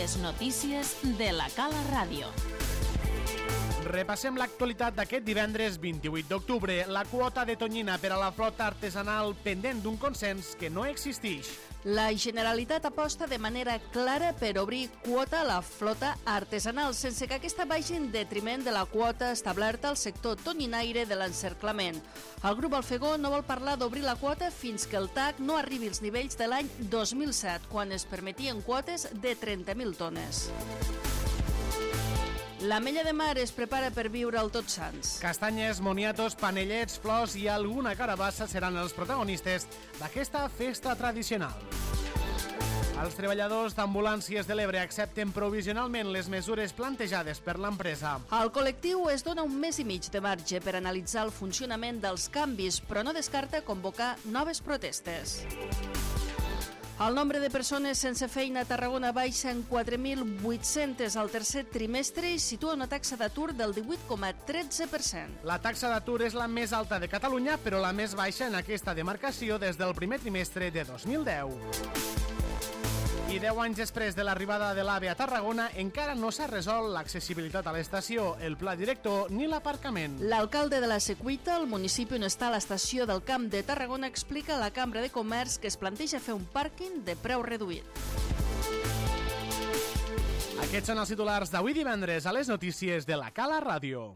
Les notícies de la Cala Ràdio. Repassem l'actualitat d'aquest divendres 28 d'octubre. La quota de tonyina per a la flota artesanal pendent d'un consens que no existeix. La Generalitat aposta de manera clara per obrir quota a la flota artesanal, sense que aquesta vagi en detriment de la quota establerta al sector tonyinaire de l'encerclament. El grup Alfegó no vol parlar d'obrir la quota fins que el TAC no arribi als nivells de l'any 2007, quan es permetien quotes de 30.000 tones. L'Ametlla de Mar es prepara per viure al Tots Sants. Castanyes, moniatos, panellets, flors i alguna carabassa seran els protagonistes d'aquesta festa tradicional. Els treballadors d'ambulàncies de l'Ebre accepten provisionalment les mesures plantejades per l'empresa. El col·lectiu es dona un mes i mig de marge per analitzar el funcionament dels canvis, però no descarta convocar noves protestes. El nombre de persones sense feina a Tarragona baixa en 4.800 al tercer trimestre i situa una taxa d'atur del 18,13%. La taxa d'atur és la més alta de Catalunya, però la més baixa en aquesta demarcació des del primer trimestre de 2010. I 10 anys després de l'arribada de l'AVE a Tarragona encara no s'ha resolt l'accessibilitat a l'estació, el pla director ni l'aparcament. L'alcalde de la Secuita, el municipi on està l'estació del Camp de Tarragona, explica a la Cambra de Comerç que es planteja fer un pàrquing de preu reduït. Aquests són els titulars d'avui divendres a les notícies de la Cala Ràdio.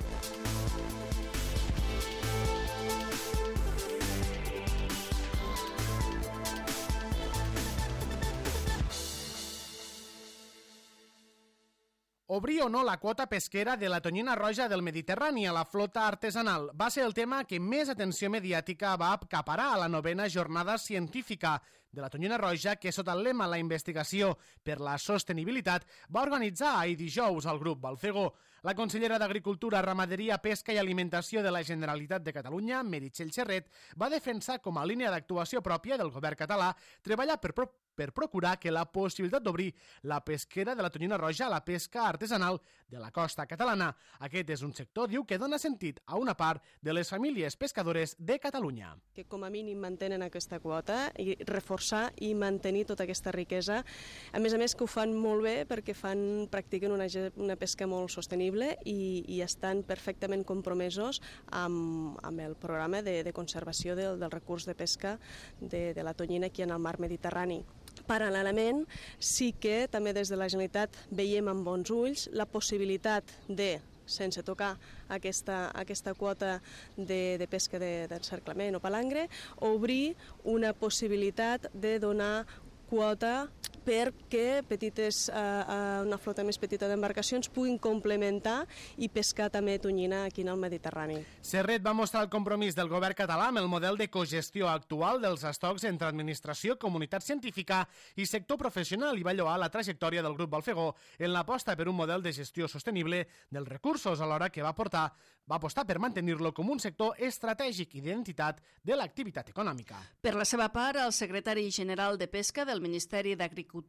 Obrir o no la quota pesquera de la tonyina roja del Mediterrani a la flota artesanal va ser el tema que més atenció mediàtica va acaparar a la 9ª jornada científica de la tonyina roja que, sota el lema La investigació per la sostenibilitat, va organitzar ahir dijous el grup Balfegó. La consellera d'Agricultura, Ramaderia, Pesca i Alimentació de la Generalitat de Catalunya, Meritxell Serret, va defensar com a línia d'actuació pròpia del govern català treballar per procurar que la possibilitat d'obrir la pesquera de la tonyina roja a la pesca artesanal de la costa catalana. Aquest és un sector, diu, que dona sentit a una part de les famílies pescadores de Catalunya. Que com a mínim mantenen aquesta quota i reforçar i mantenir tota aquesta riquesa. A més que ho fan molt bé perquè practiquen una pesca molt sostenible i estan perfectament compromesos amb el programa de conservació del recurs de pesca de la tonyina aquí en el mar Mediterrani. Paral·lelament, sí que també des de la Generalitat veiem amb bons ulls la possibilitat de, sense tocar aquesta quota de pesca d'encerclament o palangre, obrir una possibilitat de donar quota perquè una flota més petita d'embarcacions puguin complementar i pescar també tonyina aquí en el Mediterrani. Serret va mostrar el compromís del govern català amb el model de cogestió actual dels estocs entre administració, comunitat científica i sector professional i va lloar la trajectòria del grup Balfegó en l'aposta per un model de gestió sostenible dels recursos, alhora que va apostar per mantenir-lo com un sector estratègic i d'identitat de l'activitat econòmica. Per la seva part, el secretari general de Pesca del Ministeri d'Agricultura,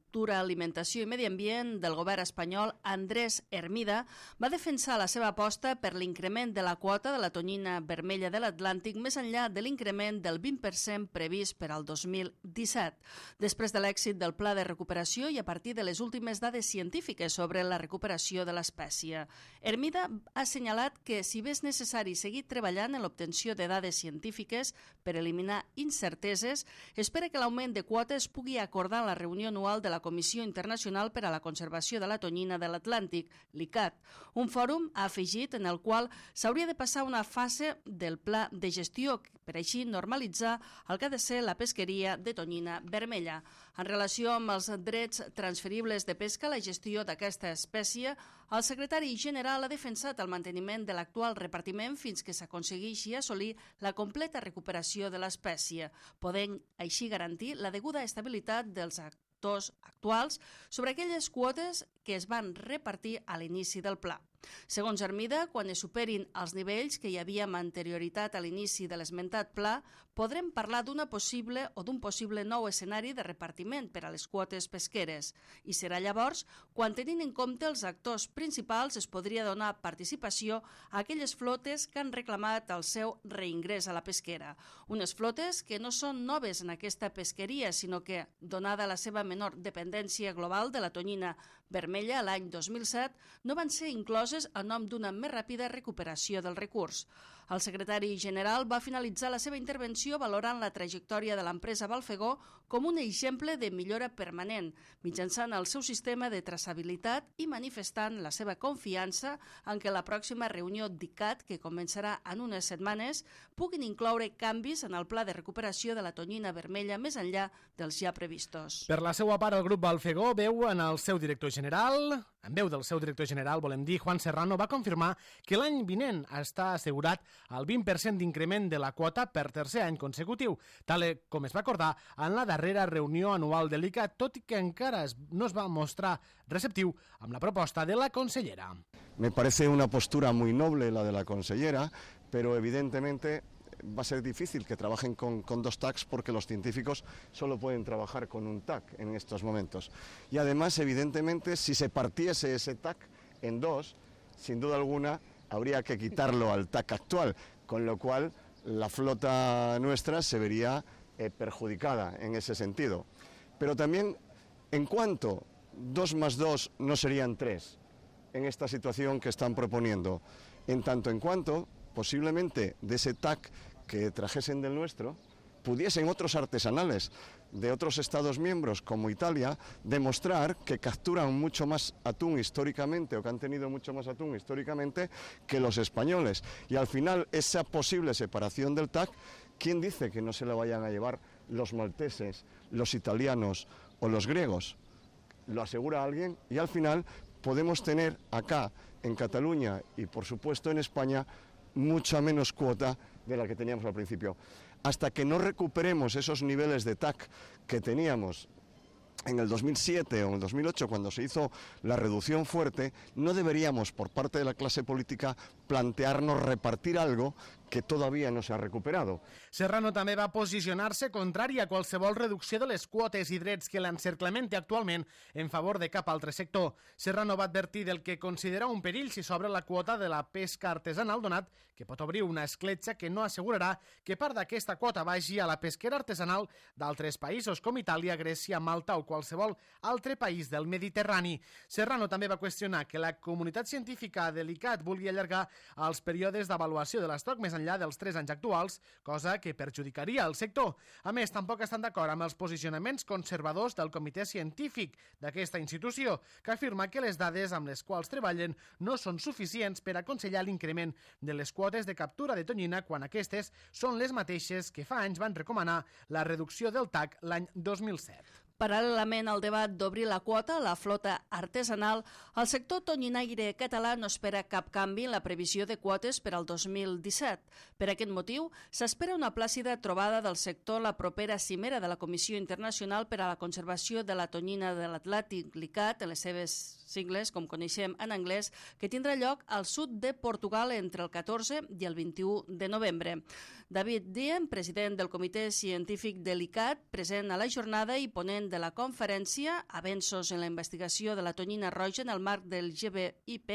Alimentació i Medi Ambient del govern espanyol, Andrés Hermida, va defensar la seva aposta per l'increment de la quota de la tonyina vermella de l'Atlàntic més enllà de l'increment del 20% previst per al 2017. Després de l'èxit del pla de recuperació i a partir de les últimes dades científiques sobre la recuperació de l'espècie, Hermida ha assenyalat que, si bé és necessari seguir treballant en l'obtenció de dades científiques per eliminar incerteses, espera que l'augment de quotes pugui acordar en la reunió anual de la Comissió Internacional per a la Conservació de la Tonyina de l'Atlàntic, l'ICAT, un fòrum, ha afegit, en el qual s'hauria de passar una fase del pla de gestió per així normalitzar el que ha de ser la pesqueria de tonyina vermella. En relació amb els drets transferibles de pesca, la gestió d'aquesta espècie, el secretari general ha defensat el manteniment de l'actual repartiment fins que s'aconsegueixi assolir la completa recuperació de l'espècie, podent així garantir la deguda estabilitat dels actuals sobre aquelles quotes que es van repartir a l'inici del pla. Segons Hermida, quan es superin els nivells que hi havia amb anterioritat a l'inici de l'esmentat pla, podrem parlar d'un possible nou escenari de repartiment per a les quotes pesqueres. I serà llavors quan, tenint en compte els actors principals, es podria donar participació a aquelles flotes que han reclamat el seu reingrés a la pesquera. Unes flotes que no són noves en aquesta pesqueria, sinó que, donada la seva menor dependència global de la tonyina vermella l'any 2007, no van ser incloses a nom d'una més ràpida recuperació del recurs. El secretari general va finalitzar la seva intervenció valorant la trajectòria de l'empresa Balfegó com un exemple de millora permanent, mitjançant el seu sistema de traçabilitat i manifestant la seva confiança en què la pròxima reunió d'ICAT, que començarà en unes setmanes, puguin incloure canvis en el pla de recuperació de la tonyina vermella més enllà dels ja previstos. Per la seva part, el grup Balfegó veu del seu director general, volem dir, Juan Serrano, va confirmar que l'any vinent està assegurat el 20% d'increment de la quota per tercer any consecutiu, tal com es va acordar en la darrera reunió anual de l'ICAT, tot i que encara no es va mostrar receptiu amb la proposta de la consellera. Me parece una postura muy noble la de la consellera, pero evidentemente va a ser difícil que trabajen con dos TACs porque los científicos solo pueden trabajar con un TAC en estos momentos. Y además, evidentemente, si se partiese ese TAC en dos, sin duda alguna, habría que quitarlo al TAC actual, con lo cual la flota nuestra se vería perjudicada en ese sentido. Pero también, en cuanto 2 más 2 no serían 3 en esta situación que están proponiendo, en tanto en cuanto posiblemente de ese TAC que trajesen del nuestro, pudiesen otros artesanales de otros Estados miembros como Italia demostrar que capturan mucho más atún históricamente o que han tenido mucho más atún históricamente que los españoles. Y al final esa posible separación del TAC, ¿quién dice que no se la vayan a llevar los malteses, los italianos o los griegos? Lo asegura alguien y al final podemos tener acá en Cataluña y por supuesto en España mucha menos cuota de la que teníamos al principio. Hasta que no recuperemos esos niveles de TAC que teníamos en el 2007 o en el 2008, cuando se hizo la reducción fuerte, no deberíamos, por parte de la clase política, plantearnos repartir algo que todavía no se ha recuperado. Serrano també va posicionar-se contrari a qualsevol reducció de les quotes i drets que l'encerclament té actualment en favor de cap altre sector. Serrano va advertir del que considera un perill si s'obre la quota de la pesca artesanal, donat que pot obrir una escletxa que no assegurarà que part d'aquesta quota vagi a la pesquera artesanal d'altres països com Itàlia, Grècia, Malta o qualsevol altre país del Mediterrani. Serrano també va qüestionar que la comunitat científica de l'ICAT vulgui allargar els períodes d'avaluació de l'estoc més enllà dels 3 anys actuals, cosa que perjudicaria el sector. A més, tampoc estan d'acord amb els posicionaments conservadors del comitè científic d'aquesta institució, que afirma que les dades amb les quals treballen no són suficients per aconsellar l'increment de les quotes de captura de tonyina quan aquestes són les mateixes que fa anys van recomanar la reducció del TAC l'any 2007. Paral·lelament al debat d'obrir la quota a la flota artesanal, el sector tonyinaire català no espera cap canvi en la previsió de quotes per al 2017. Per aquest motiu, s'espera una plàcida trobada del sector la propera cimera de la Comissió Internacional per a la Conservació de la Tonyina de l'Atlàntic, l'ICAT, en les seves sigles, com coneixem en anglès, que tindrà lloc al sud de Portugal entre el 14 i el 21 de novembre. David Diem, president del Comitè Científic de l'ICAT, present a la jornada i ponent de la conferència Avenços en la investigació de la tonyina roja en el marc del GBIP,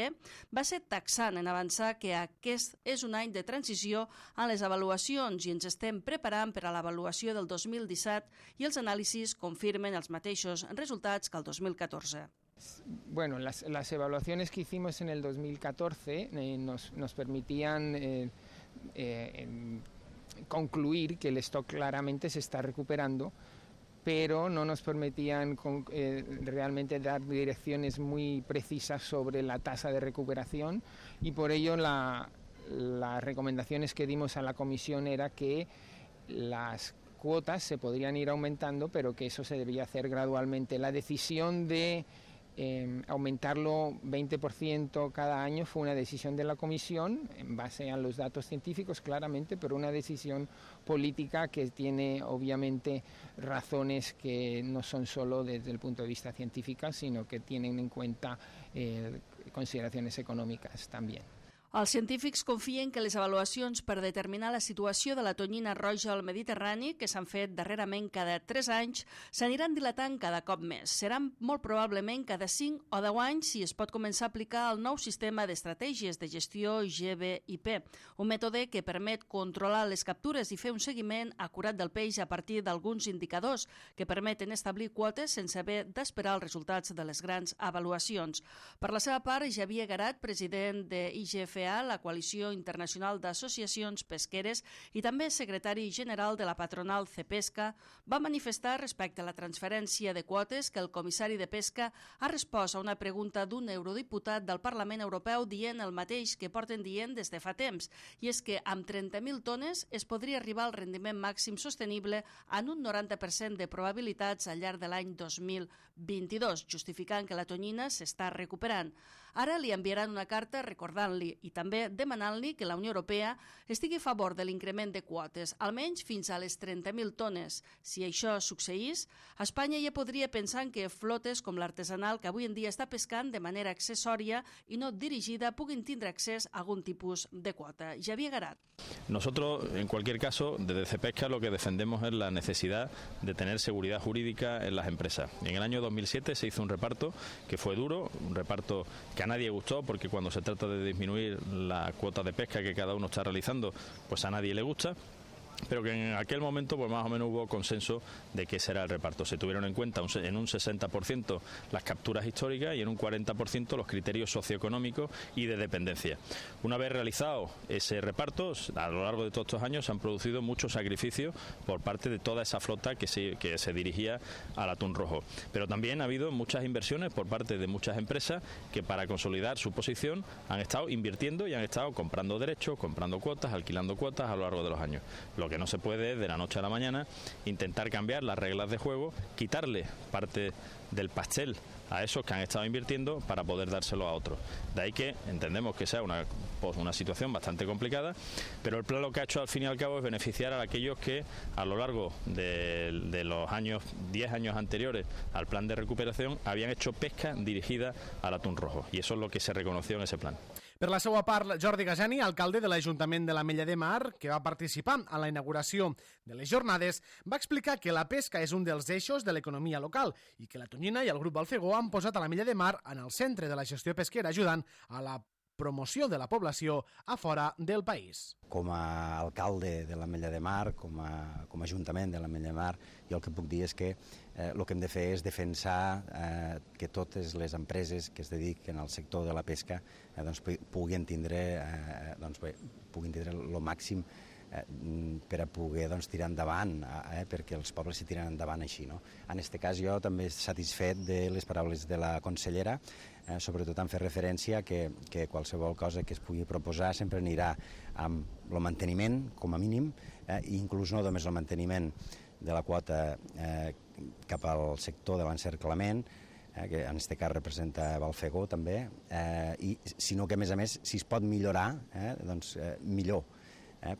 va ser taxant en avançar que aquest és un any de transició en les avaluacions i ens estem preparant per a l'avaluació del 2017 i els anàlisis confirmen els mateixos resultats que el 2014. Bueno, las evaluaciones que hicimos en el 2014 nos permitían concluir que el stock claramente se está recuperando, pero no nos permitían realmente dar direcciones muy precisas sobre la tasa de recuperación y por ello las recomendaciones que dimos a la comisión era que las cuotas se podrían ir aumentando, pero que eso se debía hacer gradualmente. La decisión de aumentarlo 20% cada año fue una decisión de la Comisión en base a los datos científicos claramente, pero una decisión política que tiene obviamente razones que no son solo desde el punto de vista científico, sino que tienen en cuenta consideraciones económicas también. Els científics confien que les avaluacions per determinar la situació de la tonyina roja al Mediterrani, que s'han fet darrerament cada 3 anys, s'aniran dilatant cada cop més. Seran molt probablement cada 5 o 10 anys si es pot començar a aplicar el nou sistema d'estratègies de gestió GBIP, un mètode que permet controlar les captures i fer un seguiment acurat del peix a partir d'alguns indicadors que permeten establir quotes sense haver d'esperar els resultats de les grans avaluacions. Per la seva part, Xavier Garat, president de IGFA, la Coalició Internacional d'Associacions Pesqueres, i també secretari general de la patronal Cepesca, va manifestar respecte a la transferència de quotes que el comissari de Pesca ha respost a una pregunta d'un eurodiputat del Parlament Europeu dient el mateix que porten dient des de fa temps, i és que amb 30.000 tones es podria arribar al rendiment màxim sostenible en un 90% de probabilitats al llarg de l'any 2022, justificant que la tonyina s'està recuperant. Ara li enviaran una carta recordant-li i també demanant-li que la Unió Europea estigui a favor de l'increment de quotes, almenys fins a les 30.000 tones. Si això succeís, Espanya ja podria pensar que flotes com l'artesanal, que avui en dia està pescant de manera accessòria i no dirigida, puguin tindre accés a algun tipus de quota. Xavier Garat. Nosotros, en cualquier caso, desde Cepesca lo que defendemos es la necesidad de tener seguridad jurídica en las empresas. En el año 2007 se hizo un reparto que fue duro, un reparto que a nadie gustó, porque cuando se trata de disminuir la cuota de pesca que cada uno está realizando, pues a nadie le gusta. Pero que en aquel momento pues más o menos hubo consenso de que ese era el reparto. Se tuvieron en cuenta en un 60% las capturas históricas y en un 40% los criterios socioeconómicos y de dependencia. Una vez realizado ese reparto, a lo largo de todos estos años se han producido muchos sacrificios por parte de toda esa flota que se dirigía al atún rojo. Pero también ha habido muchas inversiones por parte de muchas empresas que para consolidar su posición han estado invirtiendo y han estado comprando derechos, comprando cuotas, alquilando cuotas a lo largo de los años. Lo que no se puede es de la noche a la mañana intentar cambiar las reglas de juego, quitarle parte del pastel a esos que han estado invirtiendo para poder dárselo a otros. De ahí que entendemos que sea una situación bastante complicada, pero el plan lo que ha hecho al fin y al cabo es beneficiar a aquellos que a lo largo de los 10 años anteriores al plan de recuperación habían hecho pesca dirigida al atún rojo, y eso es lo que se reconoció en ese plan. Per la seva part, Jordi Gajani, alcalde de l'Ajuntament de l'Ametlla de Mar, que va participar en la inauguració de les jornades, va explicar que la pesca és un dels eixos de l'economia local i que la tonyina i el grup Balfegó han posat a l'Ametlla de Mar en el centre de la gestió pesquera, ajudant a la promoció de la població a fora del país. Com a alcalde de l'Ametlla de Mar, com a Ajuntament de l'Ametlla de Mar, jo el que puc dir és que el que hem de fer és defensar que totes les empreses que es dediquen al sector de la pesca puguin tindre el màxim per a poder tirar endavant, perquè els pobles s'hi tiren endavant així. En aquest cas jo també satisfet de les paraules de la consellera, sobretot en fer referència que qualsevol cosa que es pugui proposar sempre anirà amb el manteniment, com a mínim, i inclús no només el manteniment de la quota cap al sector de l'encerclament, que en aquest cas representa Balfegó també, sinó que a més, si es pot millorar, millor.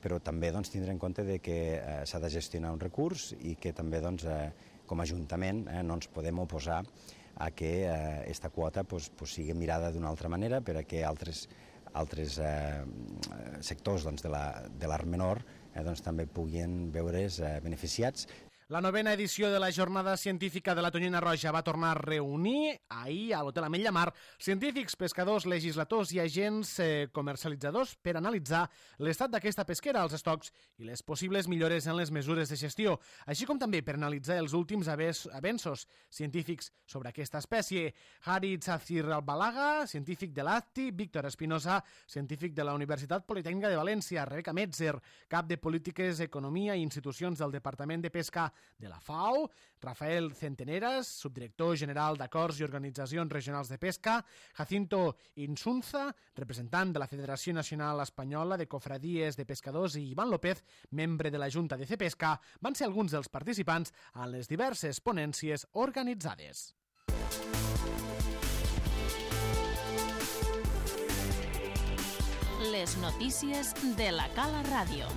Però també tindre en compte que s'ha de gestionar un recurs i que també com a Ajuntament no ens podem oposar a que aquesta quota sigui mirada d'una altra manera per a que altres sectors de l'art menor també puguin veure's beneficiats. La 9ª edició de la Jornada Científica de la Tonyina Roja va tornar a reunir ahir a l'Hotel Ametlla Mar científics, pescadors, legisladors i agents comercialitzadors per analitzar l'estat d'aquesta pesquera, els estocs i les possibles millores en les mesures de gestió, així com també per analitzar els últims avenços científics sobre aquesta espècie. Harit Safir Albalaga, científic de l'ACTI, Víctor Espinosa, científic de la Universitat Politècnica de València, Rebeca Metzer, cap de Polítiques, Economia i Institucions del Departament de Pesca de la FAO, Rafael Centeneras, subdirector general d'Acords i Organitzacions Regionals de Pesca, Jacinto Insunza, representant de la Federació Nacional Espanyola de Cofradies de Pescadors, i Ivan López, membre de la Junta de Cepesca, van ser alguns dels participants en les diverses ponències organitzades. Les notícies de la Cala Ràdio.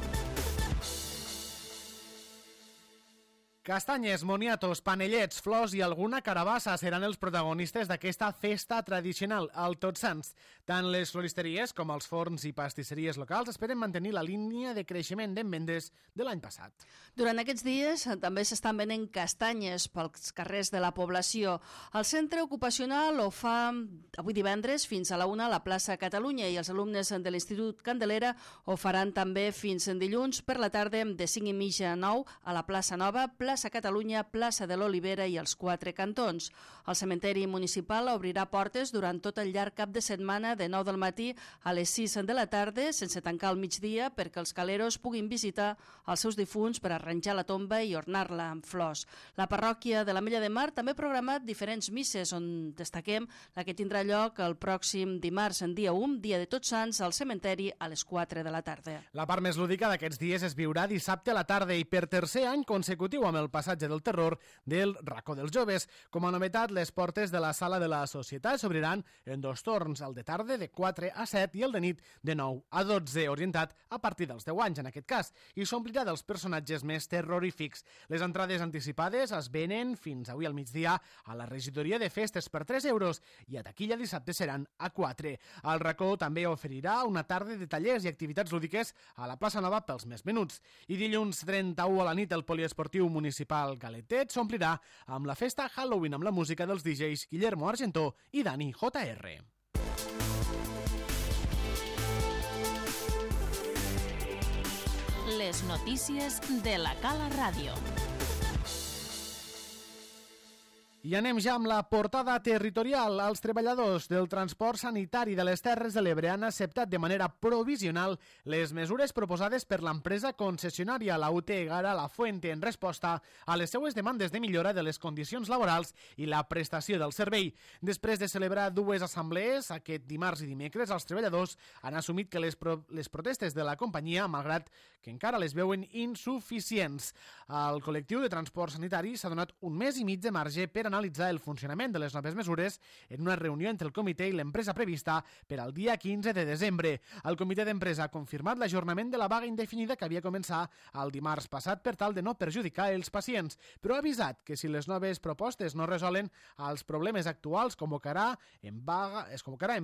Castanyes, moniatos, panellets, flors i alguna carabassa seran els protagonistes d'aquesta festa tradicional, el Tots Sants. Tant les floristeries com els forns i pastisseries locals esperen mantenir la línia de creixement d'envendes de l'any passat. Durant aquests dies també s'estan venent castanyes pels carrers de la població. El centre ocupacional ho fa avui divendres fins a la 1 a la plaça Catalunya i els alumnes de l'Institut Candelera ho faran també fins en dilluns per la tarda de 5:30 a 9 a la plaça Nova, plaça Catalunya, plaça de l'Olivera i els 4 cantons. El cementeri municipal obrirà portes durant tot el llarg cap de setmana de 9 del matí a les 6 de la tarda, sense tancar al migdia perquè els caleros puguin visitar els seus difunts per arranjar la tomba i ornar-la amb flors. La parròquia de l'Ametlla de Mar també ha programat diferents misses, on destaquem la que tindrà lloc el pròxim dimarts, en dia 1, dia de Tots Sants, al cementeri a les 4 de la tarda. La part més lúdica d'aquests dies es viurà dissabte a la tarda i per tercer any consecutiu amb el passatge del terror del Racó dels Joves. Com a novetat, les portes de la Sala de la Societat s'obriran en 2 torns, el de tarda de 4 a 7 i el de nit de 9 a 12, orientat a partir dels 10 anys en aquest cas, i s'omplirà dels personatges més terrorífics. Les entrades anticipades es venen fins avui al migdia a la regidoria de festes per 3 euros i a taquilla dissabte seran a 4. El Racó també oferirà una tarda de tallers i activitats lúdiques a la plaça Nova pels més menuts. I dilluns 31 a la nit el poliesportiu municipal Galetet s'omplirà amb la festa Halloween amb la música dels DJs Guillermo Argentó i Dani JR. Les notícies de la Cala Ràdio. I anem ja amb la portada territorial. Els treballadors del transport sanitari de les Terres de l'Ebre han acceptat de manera provisional les mesures proposades per l'empresa concessionària, la UT Egara La Fuente, en resposta a les seues demandes de millora de les condicions laborals i la prestació del servei. Després de celebrar 2 assemblees, aquest dimarts i dimecres, els treballadors han assumit que les protestes de la companyia, malgrat que encara les veuen insuficients. El col·lectiu de transport sanitari s'ha donat un mes i mig de marge per analitzar el funcionament de les noves mesures en una reunió entre el comitè i l'empresa prevista per al dia 15 de desembre. El comitè d'empresa ha confirmat l'ajornament de la vaga indefinida que havia començat el dimarts passat per tal de no perjudicar els pacients, però ha avisat que si les noves propostes no resolen els problemes actuals es convocarà en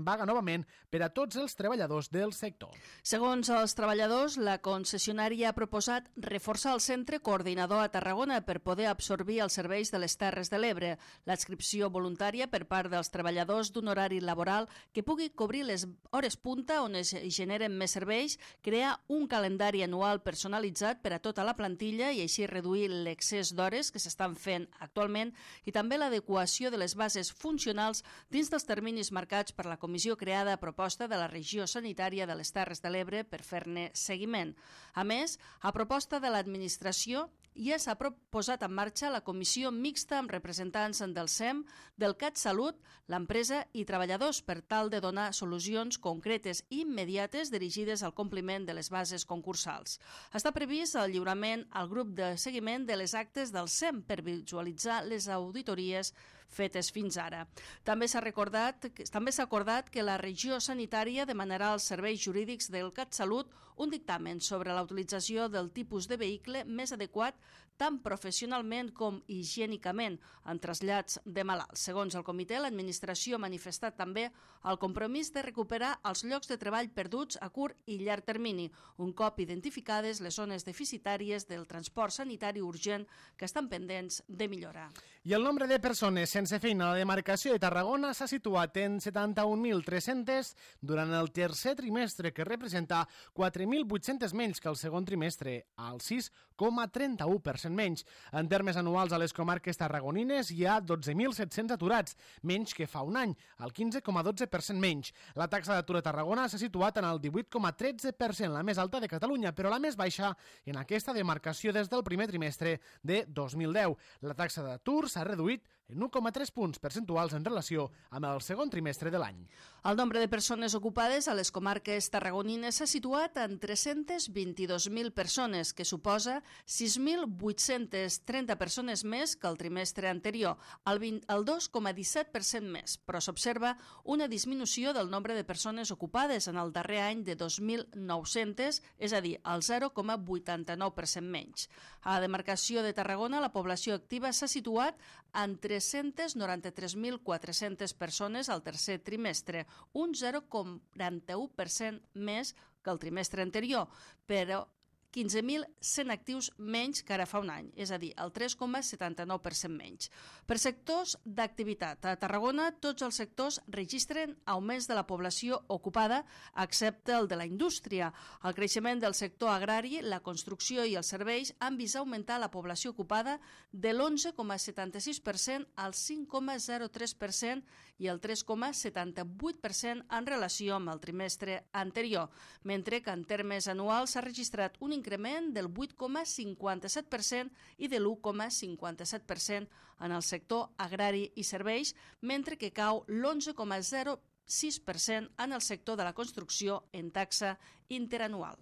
vaga novament per a tots els treballadors del sector. Segons els treballadors, la concessionària ha proposat reforçar el centre coordinador a Tarragona per poder absorbir els serveis de les Terres de l'Ebre. L'adscripció voluntària per part dels treballadors d'un horari laboral que pugui cobrir les hores punta on es generen més serveis, crear un calendari anual personalitzat per a tota la plantilla i així reduir l'excés d'hores que s'estan fent actualment i també l'adequació de les bases funcionals dins dels terminis marcats per la comissió creada a proposta de la regió sanitària de les Terres de l'Ebre per fer-ne seguiment. A més, a proposta de l'administració, ja s'ha posat en marxa la comissió mixta amb representants del SEM, del CatSalut, l'empresa i treballadors per tal de donar solucions concretes i immediates dirigides al compliment de les bases concursals. Està previst el lliurament al grup de seguiment de les actes del SEM per visualitzar les auditories fetes fins ara. També s'ha acordat que la regió sanitària demanarà als serveis jurídics del CatSalut un dictamen sobre la utilització del tipus de vehicle més adequat tant professionalment com higiènicament en trasllats de malalts. Segons el comitè, l'administració ha manifestat també el compromís de recuperar els llocs de treball perduts a curt i llarg termini, un cop identificades les zones deficitàries del transport sanitari urgent que estan pendents de millorar. I el nombre de persones sense feina a la demarcació de Tarragona s'ha situat en 71.300 durant el tercer trimestre, que representa 4.800 menys que el segon trimestre, al 6,31% menys. En termes anuals a les comarques tarragonines hi ha 12.700 aturats, menys que fa un any, el 15,12% menys. La taxa d'atur a Tarragona s'ha situat en el 18,13%, la més alta de Catalunya, però la més baixa en aquesta demarcació des del primer trimestre de 2010. La taxa d'atur s'ha reduït en 1,3 punts percentuals en relació amb el segon trimestre de l'any. El nombre de persones ocupades a les comarques tarragonines s'ha situat en en 322.000 persones, que suposa 6.830 persones més que el trimestre anterior, el 2,17% més, però s'observa una disminució del nombre de persones ocupades en el darrer any de 2.900, és a dir, el 0,89% menys. A la demarcació de Tarragona, la població activa s'ha situat en 393.400 persones al tercer trimestre, un 0,41% més que el trimestre anterior, però 15.100 actius menys que ara fa un any, és a dir, el 3,79% menys. Per sectors d'activitat, a Tarragona tots els sectors registren augments de la població ocupada, excepte el de la indústria. El creixement del sector agrari, la construcció i els serveis han vist augmentar la població ocupada de l'11,76% al 5,03% i el 3,78% en relació amb el trimestre anterior, mentre que en termes anuals s'ha registrat un increment del 8,57% i de l'1,57% en el sector agrari i serveis, mentre que cau l'11,06% en el sector de la construcció en taxa interanual.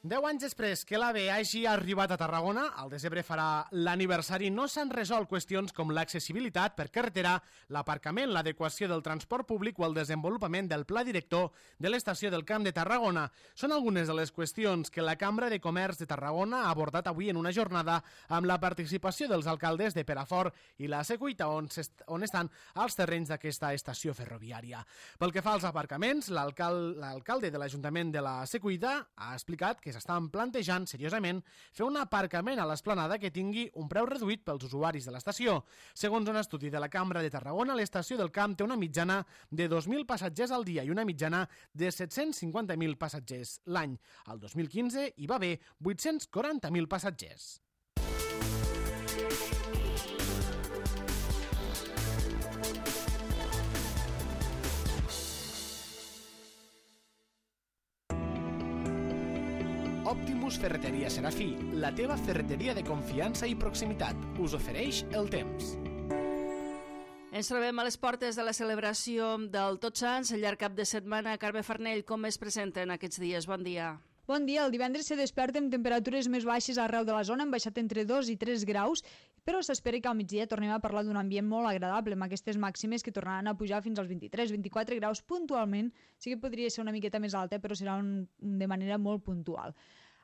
Deu anys després que l'AVE hagi arribat a Tarragona, el desembre farà l'aniversari, no s'han resolt qüestions com l'accessibilitat per carretera, l'aparcament, l'adequació del transport públic o el desenvolupament del pla director de l'estació del Camp de Tarragona. Són algunes de les qüestions que la Cambra de Comerç de Tarragona ha abordat avui en una jornada amb la participació dels alcaldes de Perafort i la Secuita, on estan els terrenys d'aquesta estació ferroviària. Pel que fa als aparcaments, l'alcalde de l'Ajuntament de la Secuita ha explicat que s'estan plantejant seriosament fer un aparcament a l'esplanada que tingui un preu reduït pels usuaris de l'estació. Segons un estudi de la Cambra de Tarragona, l'estació del Camp té una mitjana de 2.000 passatgers al dia i una mitjana de 750.000 passatgers l'any. Al 2015 hi va haver 840.000 passatgers. Optimus Ferreteria Serafí, la teva ferreteria de confiança i proximitat, us ofereix el temps. Ens trobem a les portes de la celebració del Tots Sants, el llarg cap de setmana. Carme Farnell, com es presenten aquests dies? Bon dia. Bon dia. El divendres se desperta amb temperatures més baixes arreu de la zona, han baixat entre 2 i 3 graus, però s'espera que al migdia tornem a parlar d'un ambient molt agradable, amb aquestes màximes que tornaran a pujar fins als 23-24 graus puntualment. Sí que podria ser una miqueta més alta, però serà de manera molt puntual.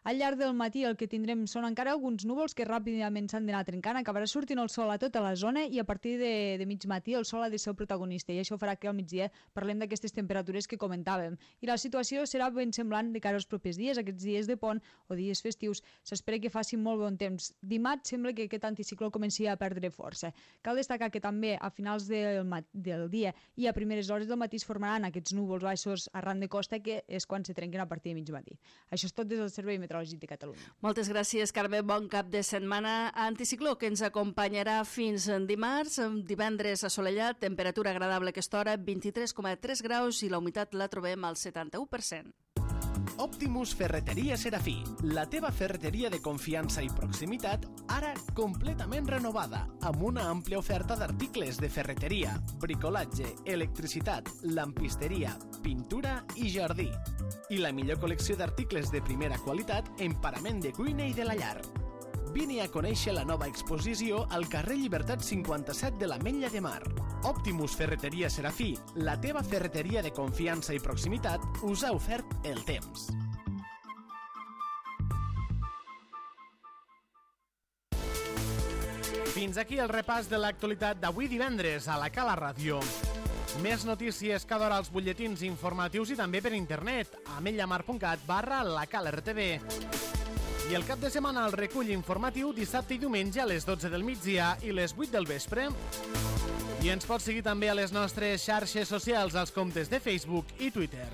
Al llarg del matí el que tindrem són encara alguns núvols que ràpidament s'han d'anar trencant, acabarà sortint el sol a tota la zona i a partir de mig matí el sol ha de ser el protagonista i això farà que al migdia parlem d'aquestes temperatures que comentàvem. I la situació serà ben semblant de cara als propers dies, aquests dies de pont o dies festius. S'espera que faci molt bon temps. Dimarts sembla que aquest anticicló comenci a perdre força. Cal destacar que també a finals del dia i a primeres hores del matí es formaran aquests núvols baixos arran de costa que és quan se trenquen a partir de mig matí. Això és tot des del Servei Meteorològic de Catalunya. Moltes gràcies, Carme. Bon cap de setmana. Anticicló que ens acompanyarà fins dimarts. Divendres assolellat, temperatura agradable a aquesta hora, 23,3 graus i la humitat la trobem al 71%. Optimus Ferreteria Serafí, la teva ferreteria de confiança i proximitat, ara completament renovada, amb una àmplia oferta d'articles de ferreteria, bricolatge, electricitat, lampisteria, pintura i jardí. I la millor col·lecció d'articles de primera qualitat en parament de cuina i de la llar. Vine a conèixer la nova exposició al carrer Llibertat 57 de l'Ametlla de Mar. Optimus Ferreteria Serafí, la teva ferreteria de confiança i proximitat, us ha ofert el temps. Fins aquí el repàs de l'actualitat d'avui divendres a la Cala Ràdio. Més notícies cada hora als butlletins informatius i també per internet a ametlllamar.cat/lacalartv. I el cap de setmana el recull informatiu dissabte i diumenge a les 12 del migdia i les 8 del vespre. I ens pots seguir també a les nostres xarxes socials, als comptes de Facebook i Twitter.